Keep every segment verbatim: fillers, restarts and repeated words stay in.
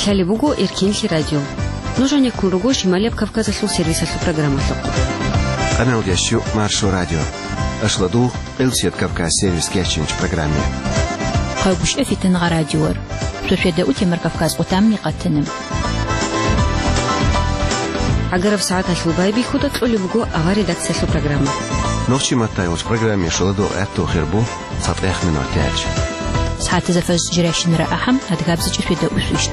Лъалеб буго Эркенлъи радио. Нуж гьанеккун руго Шималияб Кавказалъул сервисалъул программалъухъ. Къамел ящу Маршо радио. Ашладу Элсият Кавказ сервис кечинч программе. Хъавгуш эфитан гъа радиор. Сосведа утемар Кавказ къутамни къатанам. Агараб сагӀаталъул байбихьуда кьолеб буго авар редакциялъул программа. Нохчи маттайулч программе шуладу гӀатту хирбу. ЦатӀех минут яч. СагӀатазда фаз жиращинара ахӀам, адгабзичӀеб светда усвищ.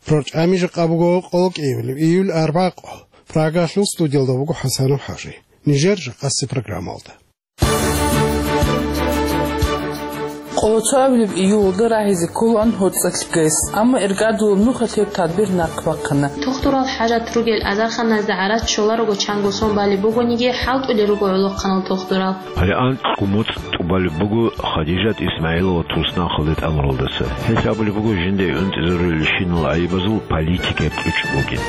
ПрорчӀами жакъа буго къоло кӀиявилеб июль арбакъо. Прагалъул студиялда буго ХӀасанов ХӀажи. Нижер жакъаси программалда. Къоло цоабилеб июлалда рагьизе кколаан гьоцӀалъ гес, амма иргадулаб нухалъ гьеб тадбир нахъ бахъана. Тухтурал хӀажат ругел азарханазда гӀарац щоларого чанго сон балеб бугониги, хӀалтӀулел руго гӀолохъанал тухтурал. Гьале анкьго моцӀ тӀубалеб буго Хадижат Исмаилова туснахъалде тӀамуралдаса. Гьелъ абулеб буго жинда гӀунтӀизарулелщинал гӀайибазул политикаяб кьучӀ бугин.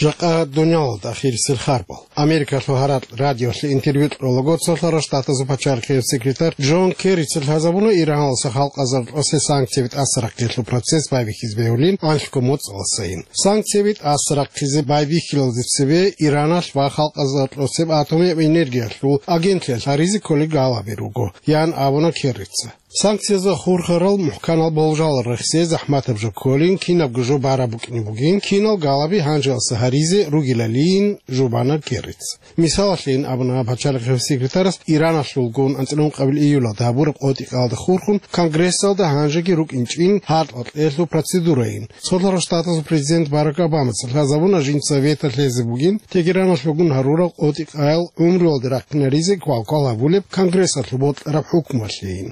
Жакъа дуниялалда ахирисел харбал. Америкалъул гьаракь радиолъе интервью кьолаго цолъарал штатазул пачалихъияб секретарь Джон Керрица лъазабуна Ираналъа халкъазаралъе санкцияби тӀасарахъиялъул процесс байбихьизе бегьулин анлъго моцӀаласайин. Санкцияби тӀасарахъизе байбихьилалде цебе Ираналъ ва халкъазаралъе атомияб энергиялъул агентлъиялъ гьаризе кколел галаби руго, ян абуна Керрица. Санкциязда хурхарал мухӀканал болжал рехсей захӀматаб жо кколин, кинабго жо бараб букӀине бугин, кинал галаби гьанжеялъа гьаризе ругилалин жубана Керрица. Мисалалъейин абуна пачалихъияб секретарас Ираналъулгун анцӀила ункъабил июлалда гьабураб къотӀи-къаялда хурхун Конгрессалда гьанжеги рукӀинчӀин гьаркьа-кьелъул процедурайин. Цолъарал штатазул президент Барак Обамаца лъазабуна жинца вето лъезе бугин Тегераналъулгун гьарурал къотӀи-къаял гӀумруялде рахъинаризе квалквал гьабулеб Конгрессалъул бокьараб хӀукмуялъейин.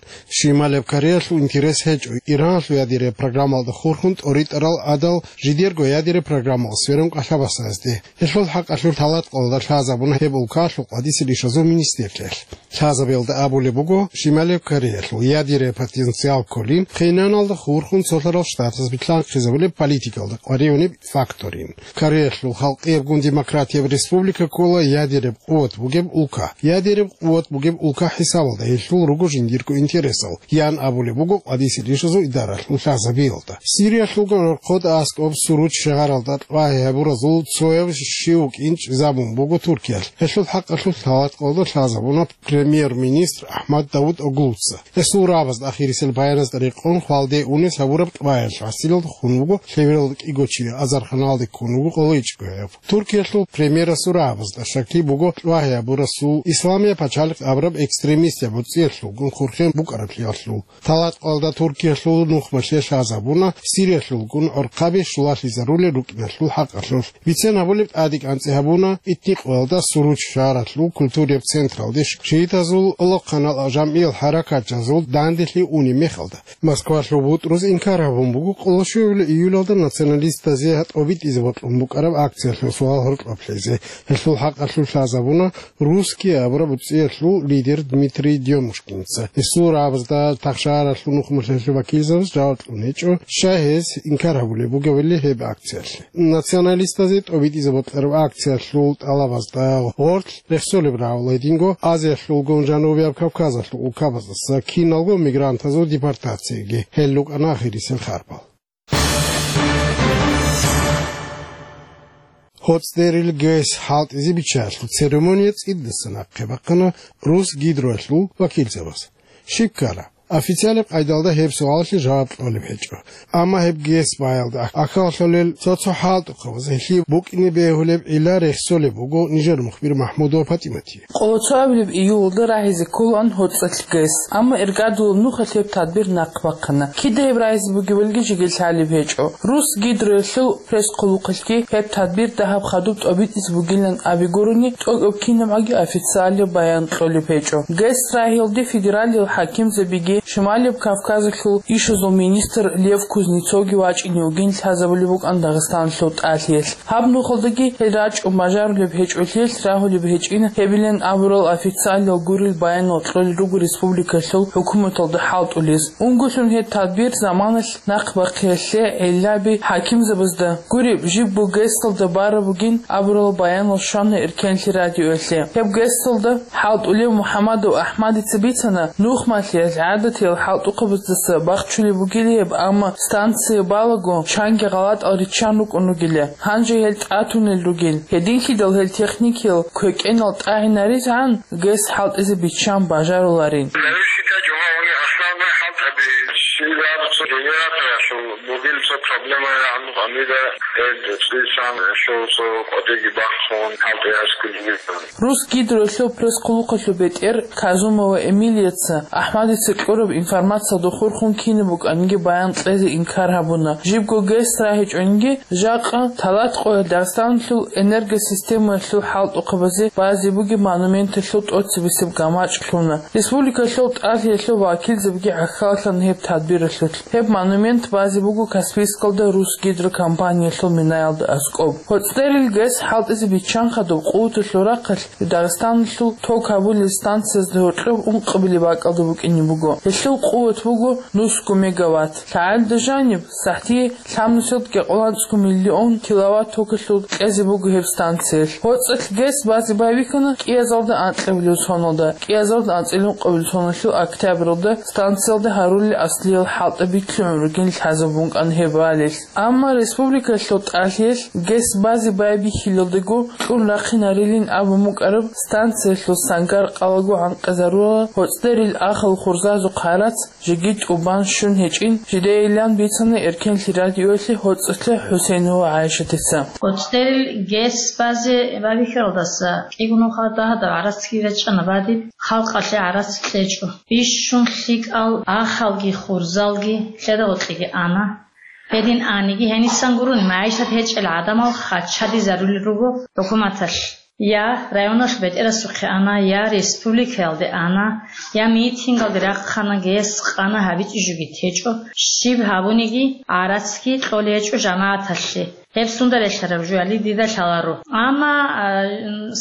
Шималияб Кореялъул интерес гьечӀо Ираналъул ядерия программалда хурхун тӀоритӀарал гӀадал жидерго ядерия программал сверун къалъабасазде. Гьелъул хӀакъалъулъ талатӀкъалда лъазабуна гьеб улкалъул къвадисел ишазул министрлъиялъ. Лъазабиялда абулеб буго, Шималияб Кореялъул ядерия потенциал кколин, Пхеньяналда хурхун цолъарал штатаз билълъанхъизабулеб политикалда къваригӀунеб факторин. Кореялъул халкъиябгун демократияб республика ккола ядереб къуват бугеб улка. Ядереб къуват бугеб улка хӀисабалда гьелъул руго жиндирго интересал, ян абулеб буго къвадисел ишазул идаралъул лъазабиялда. Сириялъулгун гӀорхъода аскӀоб Суруч шагьаралда тӀвагьи гьабуразул цояв щив вукӀин чӀезабун буго Туркиялъ. Гьелъул хӀакъалъулъ талатӀкъалда лъазабуна премьер-министр Ахмад Давутоглуца. Гьесул рагӀабазда ахирисел баяназда рекъон хвалде унес гьабураб тӀваялъ гӀасилалда хун вуго лъебералда кӀиго чи, азарханалде ккун вуго къоло ичӀго гӀев. Туркиялъул премьерасул рагӀабазда щаклъи буго тӀвагьи гьабурасул, Исламияб пачалихъ абураб экстремистияб гӀуцӀиялъулгун хурхен букӀараблъиялъул. ТалатӀкъалда Туркиялъул нухмалъе лъазабуна Сириялъулгун гӀорхъаби щулалъизарулел рукӀиналъул хӀакъалъулъ. Бицен гьабулеб тӀадегӀанцӀи гьабуна Итникъоялда Суруч шагьаралъул культурияб централде шиитазул къолохъанал жамгӀиял хӀаракатчазул данделъи унеб мехалда. Москвалъул бутӀруз инкар гьабун буго къоло щуабилеб июлалда националистазе тӀобитӀизе бокьун букӀараб акциялъул суал гьоркьоб лъезе. Гьелъул хӀакъалъулъ лъазабуна Русские абураб гӀуцӀиялъул лидер Дмитрий Дёмушкинца. Гьесул рагӀабазда тахшагьаралъул нухмалъулъ вакилзабаз жаваб кьун гьечӀо, щай гьез инкар гьабулеб бугебали гьеб акциялъе. Националистазе тӀобитӀизе бокьараб акциялъул тӀалабазда гъорлъ рехсолеб рагӀула гьединго Азиялъулгун Жанубияб Кавказалъул улкабаздаса киналго мигрантазул депортацияги. Гьел рукӀана ахирисел харбал. ГьоцӀдерил ГЭС хӀалтӀизе биччаялъул церемония цӀидасан ахъе бахъана Русгидроялъул вакилзабаз. Щиб ккара? Официалаб къайдалда гьеб суалалъе жаваб кьолеб гьечӀо. Амма гьеб ГЭС баялда ахӀалъулел цо-цо хӀалтӀухъабаз гьелъие букӀине бегьулеб гӀилла рехсолеб буго нижер мухбир МахӀмудова ПатӀиматие. Къоло цоабилеб июлалда рагьизе кколаан гьоцӀалъ ГЭС, амма иргадулаб нухалъ гьеб тадбир нахъ бахъана. Кида гьеб рагьизе бугебалги жеги лъалеб гьечӀо. Русгидроялъул пресс-хъулухъалъги гьеб тадбир дагьаб хадуб тӀобитӀизе бугилан абигурони, тӀокӀаб кинабгӀаги официалаб баян кьолеб гьечӀо. ГЭС рагьиялде федералил хӀакимзабиги Шималияб Кавказалъул ишазул министр Лев Кузнецовги вачӀине вугин лъазабулеб букӀан Дагъистаналъул тӀалъиялъ. Гьаб нухалдаги гьел рачӀун бажарулеб гьечӀолъиялъ рагьулеб гьечӀин гьебилан абурал официалал гурел баянал кьолел руго республикалъул хӀукуматалда хӀалтӀулез. Унголъун гьеб тадбир заманалъ нахъ бахъиялъе гӀиллаби хӀакимзабазда гуреб, жибго ГЭСалда бараб бугин абурал баянал щвана Эркенлъи радиоялъе. Гьеб ГЭСалда хӀалтӀулев МухӀамадов АхӀмадица бицана, нухмалъиялъ гӀадатиял хӀалтӀухъабаздаса бахчулеб бугила гьеб, амма станция балаго чанги гъалатӀал риччан рукӀун ругила. Гьанже гьел тӀатунел ругел. Гьединлъидал гьел техникиял квекӀенал тӀагӀинаризегӀан ГЭС хӀалтӀизе биччан бажаруларин. Зависит от чего, у них основной хӀалтӀаби. Щибаб цо генераторалъул бугел цо проблема гӀанну къамида, гьел цӀисан щол цо къодеги бахъун хӀалтӀи гьаскулин. Русгидролъул пресс-хъулухъалъул бетӀер Казумова Эмилияца АхӀмадица кьураб информациялда хурхун кинаб букӀаниги баян кьезе инкар гьабуна. Жибго ГЭС рагьичӀониги, жакъа талат къоялъ Дагъистаналъул энергосистемаялъул хӀалтӀухъабазе базе бугеб монументалъул тӀоцебесеб гамачӀ лъуна. Республикалъул тӀалъиялъул вакилзабиги гӀахьаллъана гьеб тадбиралъулъ. Гьеб монумент базе буго Каспийскалда Русгидро компаниялъул минаялда аскӀоб. ГьоцӀдерил ГЭС хӀалтӀизе биччан хадуб къуваталъул рахъалъ Дагъистаналъул ток гьабулел станциязда гьоркьоб ункъабилеб бакӀалда букӀине буго. Гьелъул къуват буго нусго мегаватт. ЛъагӀалда жаниб, сахӀтие лъабнусиялда кӀикъоялда анцӀго миллион киловатт токалъул кьезе буго гьеб станциялъ. ГьоцӀалъ ГЭС базе байбихьана кӀиазалда анкьабилеб соналда, кӀиазалда анцӀила ункъабилеб соналъул октябралда станциялда гьарулел аслиял хӀалтӀаби лъугӀун ругин лъазабун букӀана гьеб балел. Амма республикалъул тӀалъиялъ ГЭС базе байбихьилалдаго кьун рахъинарилин абун букӀараб станциялъул сангар къалаго гӀанкъизарула гьоцӀдерил ахал хурзазухъ гьарац жеги тӀубан щун гьечӀин жидейилан бицана Эркенлъи радиоялъе ГьоцӀалъа ХӀусейнова ГӀайшатица. ГьоцӀдерил ГЭС базе байбихьаралдаса кӀиго нухалъ дагьадаб гӀарацги речӀчӀана бадиб, халкъалъе гӀарац кьечӀо. Бищун лъикӀал ахалги хурзалги лъеда гъоркьеги ана. Гьедин аниги, гьенисан гурони магӀишат гьечӀел гӀадамал хаччадизарулел руго хӀукуматалъ. Я районалъ бетӀерасухъе ана, я республикаялде ана, я митингалде рахъана, ГЭС къана гьабичӀеб жоги течӀо, щиб гьабуниги гӀарацги кьолей гьечӀо жамагӀаталъе. Гьеб сунда релълъараб жо гьали дида лъаларо. Амма, а,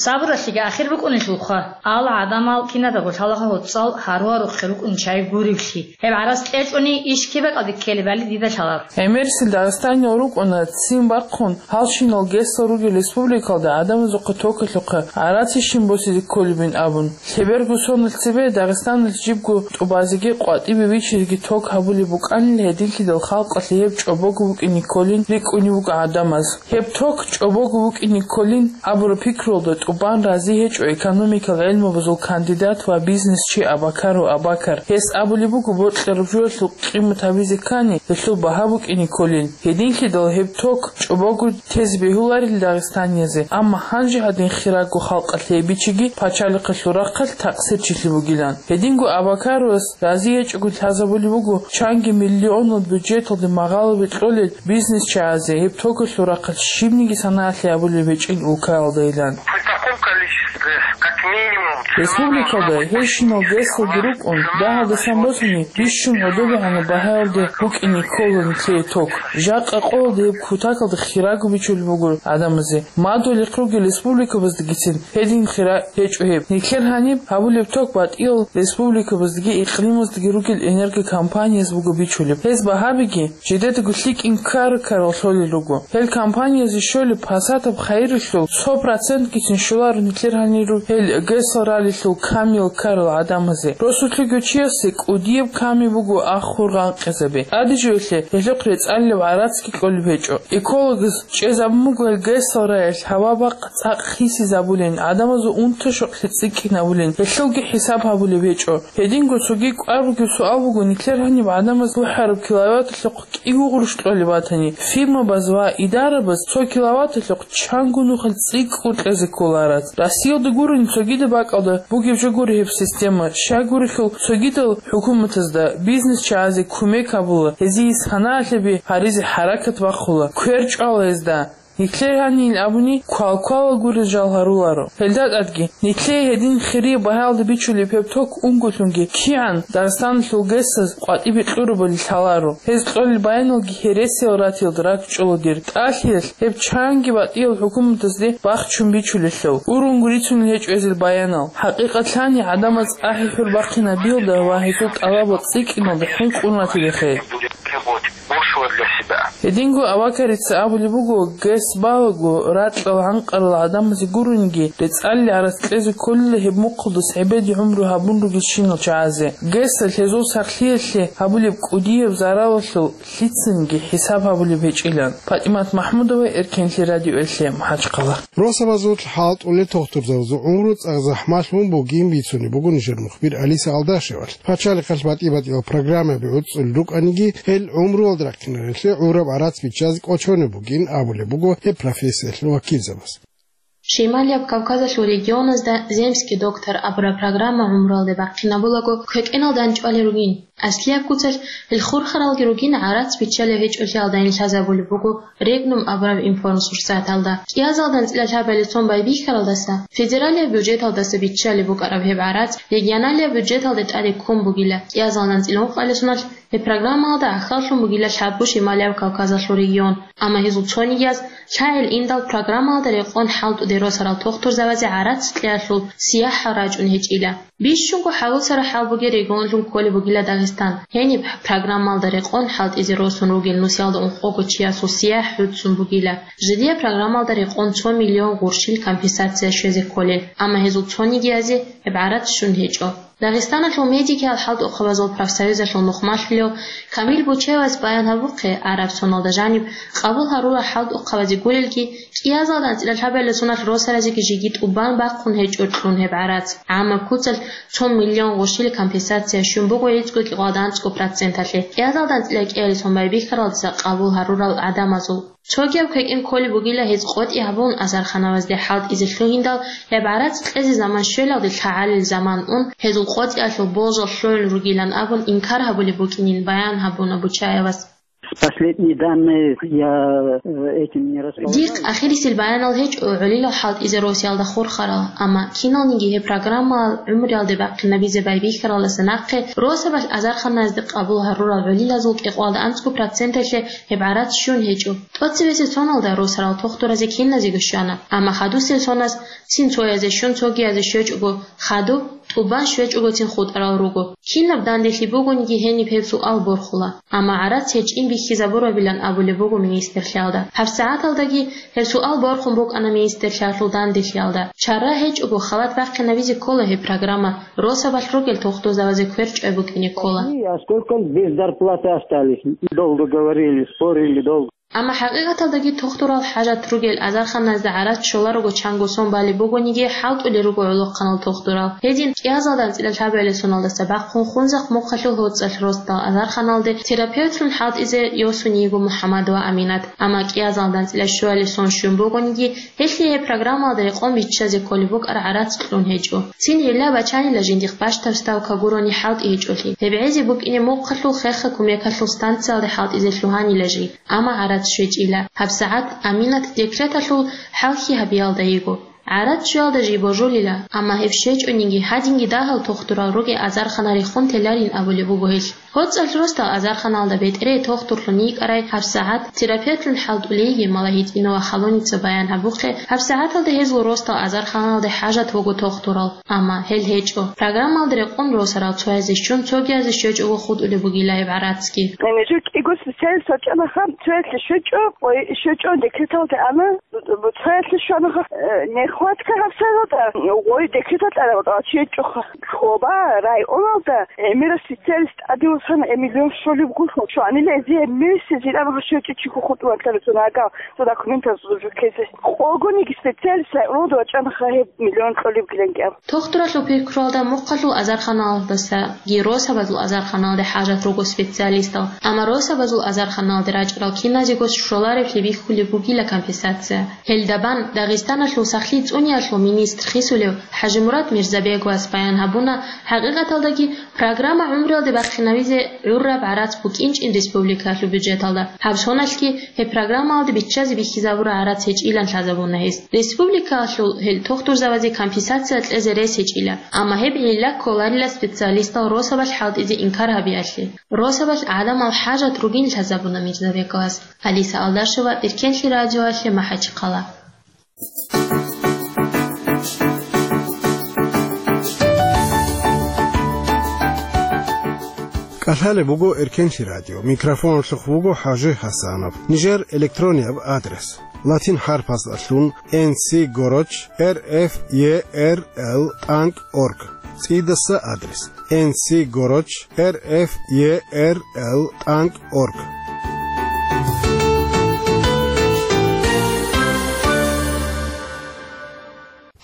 сабуралъеги ахир букӀунелъулха, ал гӀадамал киназдаго лъалаха гьоцӀал гьаруарухъе рукӀун чай гуриблъи. Гьеб гӀарац кьечӀони иш кибакӀалде ккелебали дида лъаларо. ГӀемерисел Дагъистаниял рукӀуна ццин бахъун, гьалщинал ГЭСал ругел республикалда гӀадамазухъе токалъухъе гӀарац щиб босизе кколебин абун. Лъеберго соналъ цебе Дагъистаналъ жибго тӀубазеги къватӀибе вичизеги ток гьабулеб букӀанил, гьединлъидал халкъалъе гьеб чӀобого букӀине кколин рикӀкӀунеб буго гӀадамаз. Гьеб ток чӀобого букӀине кколин абураб пикруялда тӀубан рази гьечӀо экономикал гӀелмабазул кандидат ва бизнесчи Абакаров Абакар. Гьес абулеб буго, бокьараб жоялъул къимат гьабизе ккани, гьелъул багьа букӀине кколин. Гьединлъидал гьеб ток чӀобого тезе бегьуларел дагъистаниязе, амма гьанже гьадин хирагго халкъалъе гьеб бичиги пачалихъалъул рахъалъ такъсирчилъи бугилан. Гьединго Абакаровас рази гьечӀого лъазабулеб буго чанги миллионал бюджеталде магъалаби кьолел бизнесчагӀазе гьеб токалъул рахъалъ щибниги санаялъе гьабулеб гьечӀин улкаялдайилан. При таком количестве, как минимум, цена Республикалда должна быть гьелщинал ГЭСалги рукӀун, дагьалдасан босани, бищун гӀодобегӀанаб багьаялде букӀине ккола нилъее ток. Жакъа къоялда гьеб кутакалда хирагу бичулеб буго гӀадамазе. Мадугьалихъ ругел республикабаздагицин гьедин хира гьечӀо гьеб. Нилъер гьаниб гьабулеб ток батӀиял республикабаздаги икълимаздаги ругел энергокомпаниязда буго бичулеб. Гьез багьабиги жидедаго лъикӀ инкар-карал лъолел руго. Гьел компаниязе щолеб пасатаб хайиралъул цо процентгицин щоларо нилъер гьаниру гьел ГЭСал ралелъул камиял ккарал гӀадамазе. Росулъего чиясе кӀудияб ками буго ахур гъанкъизаби. ТӀадежиялъе гьелъухъ рецӀалилеб гӀарацги кьолеб гьечӀо. Экологаз чӀезабун буго гьел ГЭСал раялъ гьава-бакъ цӀакъ хисизабулин, гӀадамазул унта-щокълъи цӀикӀкӀинабулин, гьелъулги хӀисаб гьабулеб гьечӀо. Гьединго цоги кӀвар бугеб суал буго, нилъер гьаниб гӀадамаз бухӀараб киловатталъухъ кӀиго гъурущ кьолеб батани, фирмабаз ва идарабаз цо киловатталъухъ чанго нухалъ цӀикӀкӀун кьезе ккола гӀарац. Россиялда гурони цогидаб бакӀалда бугеб жо гури гьеб система, щай гурелъул цогидал хӀукуматазда бизнесчагӀазе кумек гьабула, гьезие санаялъе би гьаризе хӀаракат бахъула, квер чӀвала гьезда. Нилъер гьанил абуни квал-квалал гурел жал гьаруларо. Гьелда тӀадги, нилъее гьедин хирияб багьаялда бичулеб гьеб ток унголъунги кигӀан Дагъистаналъул ГЭС-аз къватӀибе кьурабали лъаларо. Гьез кьолел баяналги гьересиял ратиялда ракӀчӀола дир тӀалъиялъ, гьеб чанги батӀиял хӀукуматазде бахчун бичулелъул, урунго рицунел гьечӀо гьезил баянал. ХӀакъикъатлъани, гӀадамаз ахӀи-хӀур бахъинабиялда ва гьезул тӀалабал цӀикӀкӀиналда хӀинкъун ратилехъе. Гьединго Авакарица абулеб буго, ГЭС балаго, ракьал гӀанкъарал гӀадамазе гурониги, рецӀалли гӀарац кьезе кколила гьеб мухъалдас гӀебеде гӀумру гьабун ругелщинал чагӀазе. ГЭС-алъ гьезул сахлъиялъе гьабулеб кӀудияб заралалъул лъицаниги хӀисаб гьабулеб гьечӀилан. ПатӀимат МахӀмудова, Эркенлъи радиоялъе, МахӀачхъала. Росабазул хӀалтӀулел тухтурзабазул гӀумру цӀакъ захӀмалъун бугин бицунеб буго нижер мухбир Алиса Алдашевалъ. Пачалихъалъ батӀи-батӀиял программаби гӀуцӀцӀулел рукӀаниги, гьел гӀумруялда рахъинарелъе гӀураб гӀарац биччазе кӀочонеб бугин абулеб буго гьеб профессиялъул вакилзабаз. Шималияб Кавказалъул регионазда «Земский доктор» абураб программа гӀумруялде бахъинабулаго квекӀеналда анчӀвалел ругин. Аслияб куцалъ гьел хурхаралги ругин гӀарац биччалев гьечӀолъиялдайин лъазабулеб буго «Регнум» абураб информсурсаталда. КӀиазалда анцӀила лъабалел цон байбихьаралдаса, федералияб бюджеталдаса биччалеб букӀараб гьеб гӀарац регионалияб бюджеталде тӀаде ккун бугила. КӀиазалда анцӀила ункъабилеб соналъ гьеб программаялда гӀахьаллъун бугила лъабго Шималияб Кавказалъул регион, амма гьезул цонигияз лъагӀел индал программаялда рекъон хӀалтӀуде росарал тухтурзабазе гӀарац кьеялъул сияхӀал рачӀун гьечӀила. Бищунго хӀалуцараб хӀал бугеб регионлъун кколеб бугила Дагъистан. Гьениб программаялда рекъон хӀалтӀизе росун ругел нусиялда ункъого чиясул сияхӀ гӀуцӀцӀун бугила. Жидее программаялда рекъон цо миллион гъурщил компенсация щвезе кколел, амма гьезул цонигиязе гьеб гӀарац щун гьечӀо. Дагъистаналъул медикиял хӀалтӀухъабазул профсоюзалъул нухмалъулев Камил Бучаевас баян гьабухъе, гӀараб соналда жаниб къабул гьарурал хӀалтӀухъабазе гурелги, кӀиазалда анцӀила лъабалел соналъ росаразеги жеги тӀубан бахъун гьечӀо кьун гьеб гӀарац. ГӀаммаб куцалъ цо миллион гъурщил компенсация щун буго гӀицӀго кьикъоялда анцӀго проценталъе, кӀиазалда анцӀила кӀиабилеб сон байбихьаралдаса къабул гьарурал гӀадамазул. Цогияб квекӀин кколеб бугила гьез къотӀи гьабун азарханабазде хӀалтӀизе лъугьиндал, гьеб гӀарац кьезе заман щвелалде лъагӀалил заман ун, гьезул къотӀиялъул болжал лъугӀун ругилан абун инкар гьабулеб букӀинин баян гьабуна Бучаевас. Последние данные я, э, этим не располагаю. Дихъ ахирисел баянал гьечӀо гӀолилал хӀалтӀизе росиялда хурхарал, амма киналниги гьеб программаялъ гӀумруялде бахъинабизе байбихьаралдаса нахъе росабалъ азарханаязде къабул гьарурал гӀолилазул кьикъоялда анцӀго проценталъе гьеб гӀарац щун гьечӀо. ТӀоцебесеб соналда росарал тухтуразе киназего щвана, амма хадусел соназ цин цоязе щун цогиязе щвечӀого хадуб, тӀубан щвечӀогоцин хутӀарал руго. Кинаб данделъи бугониги гьениб гьеб суал борхула, амма гӀарац гьечӀин бихьизабурабилан абулеб буго министрлъиялда. ГьабсагӀаталдаги гьеб суал борхун букӀана министрлъиялъул данделъиялда. Чара гьечӀого халат бахъинабизе ккола гьеб программа, росабалъ ругел тухтурзабазе квер чӀвай букӀине ккола. А сколько без зарплаты остались? Долго говорили, спорили долго. Амма хӀакъикъаталдаги тухтурал хӀажат ругел азарханазда гӀарац щоларого чанго сон балеб бугониги, хӀалтӀулел руго гӀолохъанал тухтурал. Гьедин кӀиазалда анцӀила лъабабилеб соналдаса бахъун Хунзахъ мухъалъул ГьоцӀалъ росдал азарханалде терапевтлъун хӀалтӀизе йосун йиго МухӀаммадова Аминат. Амма кӀиазалда анцӀила щуабилеб сон щун бугониги, гьелъие гьеб программаялда рекъон биччазе кколеб букӀараб гӀарац кьун гьечӀо. Цин гӀилла бачанила жиндихъ бащдаб ставка гурони хӀалтӀи гьечӀолъи. Гьеб гӀезе букӀине мухъалъул хехго кумекалъул станциялде хӀалтӀизе лъугьанила жий, амма гӀарац щвечӀила. ГьабсагӀат Аминат декреталъул хӀалхьи гьабиялда йиго. ГӀарац щвеялда жий божулила, амма гьеб щвечӀониги, гьадинги дагьал тухтурал ругел азархана рехун теларин абулеб буго гьелъ. ГьоцӀалъ росдал азарханалда бетӀерей тухтурлъун йикӀарай гьабсагӀат терапевтлъун хӀалтӀулей йиги Малахитдинова Халуница баян гьабухъе, гьабсагӀаталда гьезул росдал азарханалде хӀажат буго тухтурал, амма гьел гьечӀо. Программаялда рекъон росарал цоязе щун цогиязе щвечӀого хутӀулеб бугила гьеб гӀарацги. Гьанже кӀиго специалист вачӀанаха, цоялъе щвечӀо, ой, щвечӀо декреталде ана, цоялъе щванаха, э, нехватка гьабсагӀаталда, ой, декреталда щвечӀоха. Хьоба районалда гӀемераб специалист тӀаде вуссана, э, миллион щолеб гурлъун. Щванила гьезие месяц жинаб щвечӀо чи хутӀун ватӀарасунагал, цо документаз жукезе. Къогониги специалист районалда вачӀанаха гьеб миллион кьолеб гиланги аб. Тухтуралъул пикруялда мухъалъул азарханалдасаги росабазул азарханалде хӀажат руго специалистал, амма росабазул азарханалде рачӀарал киназего щоларевлъи бихьулеб бугила компенсация. Гьелдабан Дагъистаналъул сахлъи цӀуниялъул министр хисулев ХӀажимурад Мирзабеговас баян гьабуна, хӀакъикъаталдаги программа гӀумруялде бахъинавизе гӀурраб гӀарац букӀинчӀин республикалъул бюджеталда. Гьаб соналъги гьеб программаялде биччазе бихьизабураб гӀарац гьечӀилан лъазабуна гьес. Республикалъул гьел тухтурзабазе компенсация кьезе рес гьечӀила, амма гьеб гӀилла кколарила специалистал росабалъ хӀалтӀизе инкар гьабиялъе. Росабалъ гӀадамал хӀажат ругин лъазабуна Мирзабековас. Алиса Алдашева, Эркенлъи радиоялъе, МахӀачхъала. КӀалъалеб буго Эркенлъи радио. Микрофоналъухъ вуго ХӀажи ХӀасанов. Нижер электронияб адрес: латин хӀарпасдалъун N C гороч R F E R L тӀанкӀ org. ЦӀидаса адрес: N C гороч R F E R L тӀанкӀ org.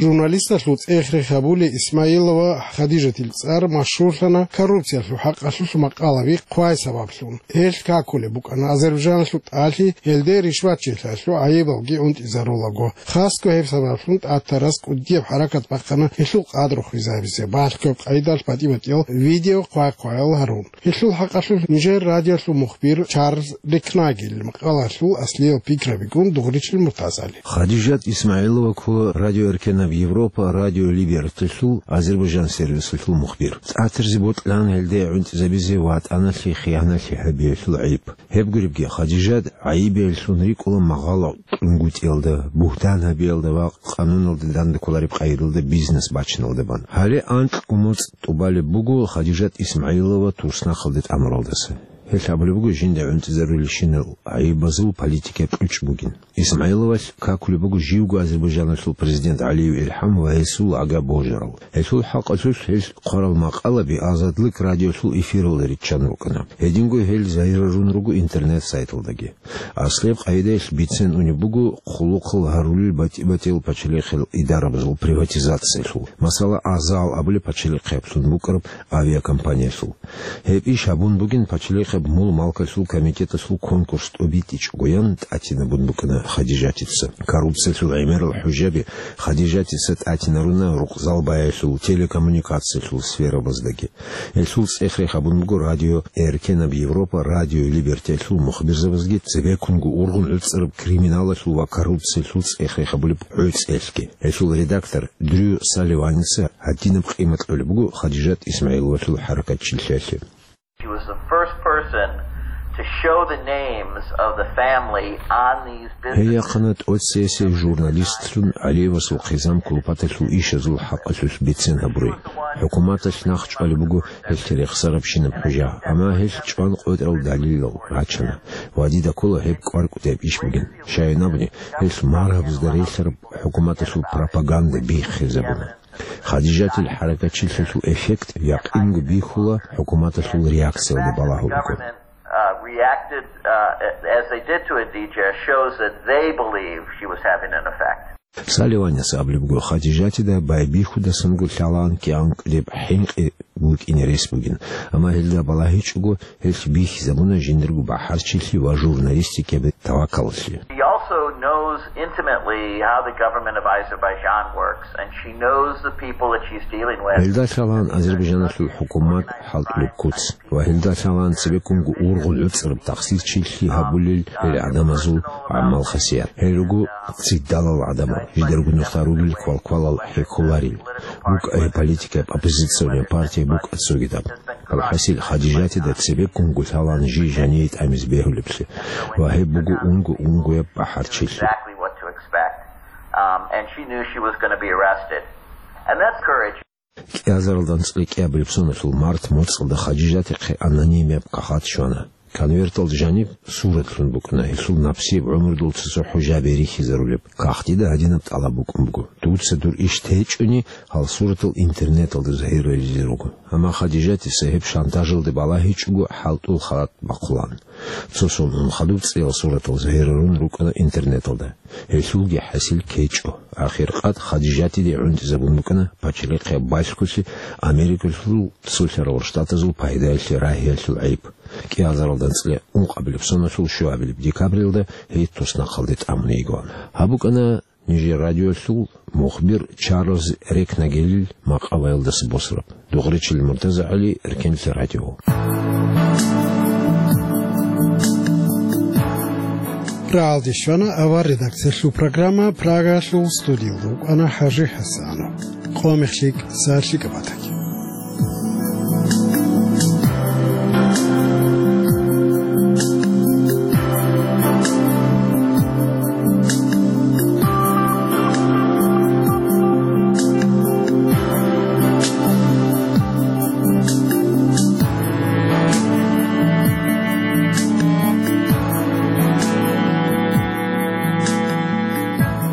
Журналисталъул цӀех-рех гьабулей Исмаилова Хадижатил цӀар машгьурлъана коррупциялъул хӀакъалъулъ макъалаби хъвай сабаблъун. Гьелъ какулеб букӀана Азербайжаналъул тӀалъи, гьелде ришватчилъиялъул гӀайибалги гӀунтӀизарулаго. Хасго гьеб сабаблъун ТӀатарас кӀудияб хӀаракат бахъана гьелъул къадру хвезабизе, балъгояб къайдалъ батӀи-батӀиял видео хъвай-хъваял гьарун. Гьелъул хӀакъалъулъ нижер радиолъул мухбир Чарльз Рекнагел макъалалъул аслиял пикрабигун дугъричил МуртазгӀали. Хадижат Исмаилова ккола Радио Эркенаб Европа, Радио Либерталъул Азербайжан сервисалъул мухбир. ТӀатарзи бокьана гьелде гӀунтӀизабизе ватӀаналъе хиянаталъе гьабиялъул гӀайиб. Гьеб гуребги, Хадижат гӀайибеялъун рикӀкӀула магъало кьунгутӀиялда, бугьтан гьабиялда ва къануналда данде кколареб къайдалда бизнес бачиналда бан. Гьале анкьго моцӀ тӀубалеб буго Хадижат Исмаилова туснахъалде тӀамуралдаса. Гьелъ абулеб буго жинда гӀунтӀизарулелщинал гӀайибазул политикаяб кьучӀ бугин. Исмаиловалъ какулеб буго живго Азербайжаналъул президент ГӀалиев ИлхӀам ва гьесул ага божарал. Гьелъул хӀакъалъулъ гьел хъварал макъалаби Азадлык радиолъул эфиралда риччан рукӀана. Гьединго гьел загьирарун руго интернет-сайталдаги. Аслияб къайдаялъ бицен унеб буго хъулухъал гьарулел батӀи-батӀиял пачалихъал идарабазул приватизациялъул, масала, Азал абулеб пачалихъаялъун букӀараб авиакомпаниялъул. Гьеб иш гьабун бугин пачалихъаб мул-малкалъул комитеталъул конкурс тӀубитӀичӀогоян тӀатинабун букӀана Хадижатица. Коррупциялъул гӀемерал хӀужаби Хадижатица тӀатинаруна рукъзал баялъул, телекоммуникациялъул сферабаздаги. Гьелъул цӀех-рех гьабун буго Радио Эркенаб Европа, Радио Либертиялъул мухбирзабазги цебеккунго ургъун гӀуцӀараб криминалалъул ва коррупциялъул цӀех-рех гьабулеб гӀуцӀиялъги. Гьелъул редактор Дрю Салливаница гьадинаб къимат кьолеб буго Хадижат Исмаиловалъул хӀаракатчилъиялъе. She was the first person to show the names of the family on these businesses. Гьей яхъана тӀоцесей журналистлъун ГӀалиевасул хъизан кулпаталъул ишазул хӀакъалъулъ бицен гьабурей. ХӀукуматалъ нахъ чӀвалеб буго гьелъ рехсарабщинаб хӀужа, амма гьелъ чӀван къотӀарал далилал рачана ва дида ккола гьеб кӀвар-кӀудияб иш бугин. Щайин абуни, гьелъ маргьабазда релълъараб хӀукуматалъул пропаганда биххизабуна. Хадижатил хӀаракатчилъиялъул эффект якъинго бихьула хӀукуматалъул реакциялда балагьулго. Government, uh, reacted, uh, as they did to Adija shows that they believe she was having an effect. Салливаница абулеб буго, Хадижатида байбихьудасанго лъалаан кӀиан кӀудеб хӀинкъи букӀине рес бугин, амма гьелда балагьичӀого, гьелъ бихьизабуна жиндирго бахӀарчилъи ва журналистикаялъе тавакалалъе. She also knows intimately how the government of Azerbaijan works, and she knows the people that she's dealing with. Гьелда лъалаан Азербайжаналъул хӀукумат хӀалтӀулеб куц ва гьелда лъалаан цебеккунго ургъун гӀуцӀараб тахсирчилъи гьабулел гьел гӀадамазул гӀамал-хасият. Гьел руго цидалал гӀадамал, жидерго нухда ругел квалквалал хӀехьоларел, букӀа гьеб политикаяб оппозиционный партия букӀа цогидаб. АлхӀасил, Хадижатида цебеккунго лъалаан жий жаниве тӀамизе бегьулеблъи, ва гьеб буго унго-унгояб бахӀарчилъи. Exactly what to expect. Um, and she knew she was gonna be arrested. And that's courage. КӀиазарилда анцӀила кӀиабилеб соналъул март моцӀалда Хадижатихъе анонимияб кагъат щвана. Конверталда жаниб суратлъун букӀана гьелъул напсияб гӀумрудул цо-цо хӀужаби рихьизарулеб. Кагътида гьадинаб тӀалаб букӀун буго: «Дуца дур иш течӀони, гьал суратал интернеталда загьирлъизе руго». Амма Хадижатица гьеб шантажалде балагьичӀого хӀалтӀул халат бахъулаан. Цо сон ун хадуб цӀиял суратал загьирарун рукӀана интернеталда. Гьелъулги хӀасил кечӀо. Ахиркъад Хадижатиде гӀунтӀизабун букӀана пачалихъияб балъголъи Америкалъул Цолъарал Штатазул пайдаялъе рагьиялъул гӀайиб. кӀиазаралда анцӀила ункъабилеб соналъул щуабилеб декабрилда гьей туснахъалде тӀамун йигоан. Гьаб букӀана нижер радиолъул мухбир Чарльз Рекнагелил макъалаялдаса босараб. Дугъричил Муртаза ГӀали, Эркенлъи радио. РагӀалде щвана авар редакциялъул программа, Прагалъул студиялда вукӀана ХӀажи ХӀасанов. Къо мехлъи, сахлъи кӀабатани.